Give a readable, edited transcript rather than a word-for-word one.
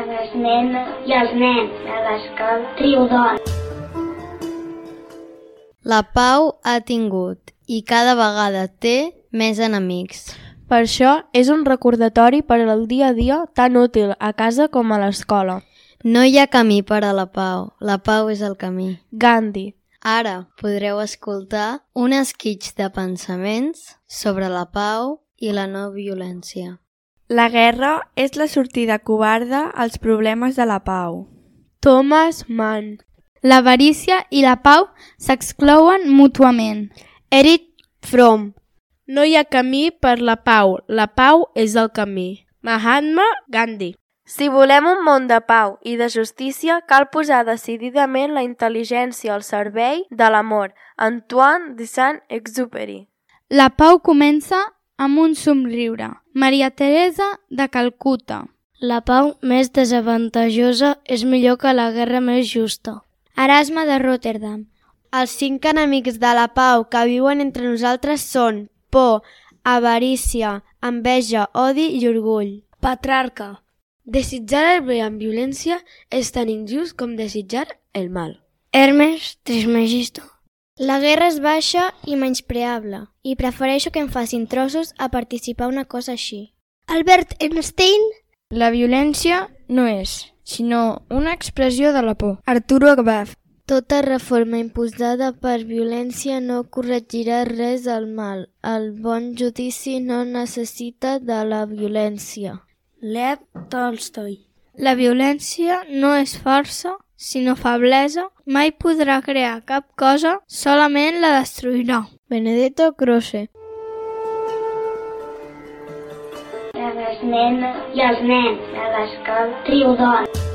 les nenes i els nens de l'escola Triodon. La Pau ha tingut i cada vegada té més enemics. Per això és un recordatori per al dia a dia tan útil a casa com a l'escola. No hi ha camí per a la pau és el camí. Gandhi. Ara podreu escoltar un esquitx de pensaments sobre la pau i la no violència. La guerra és la sortida covarda als problemes de la pau. Thomas Mann. L'avarícia i la pau s'exclouen mútuament. Erich Fromm. No hi ha camí per la pau és el camí. Mahatma Gandhi. Si volem un món de pau i de justícia, cal posar decididament la intel·ligència al servei de l'amor. Antoine de Saint-Exupéry. La pau comença amb un somriure. Maria Teresa de Calcuta. La pau més desavantatjosa és millor que la guerra més justa. Erasme de Rotterdam. Els 5 enemics de la pau que viuen entre nosaltres són por, avarícia, enveja, odi i orgull. Petrarca. Desitjar el bé amb violència és tan injust com desitjar el mal. Hermes Trismegisto. La guerra és baixa i menyspreable, i prefereixo que em facin trossos a participar una cosa així. Albert Einstein. La violència no és, sinó una expressió de la por. Arturo Agbaz. Tota reforma imposada per violència no corregirà res del mal. El bon judici no necessita de la violència. Lev Tolstoi. La violència no és força, sinó feblesa. Mai podrà crear cap cosa, solament la destruirà. Benedetto Croce. Les nenes i els nens de l'escola Triodon.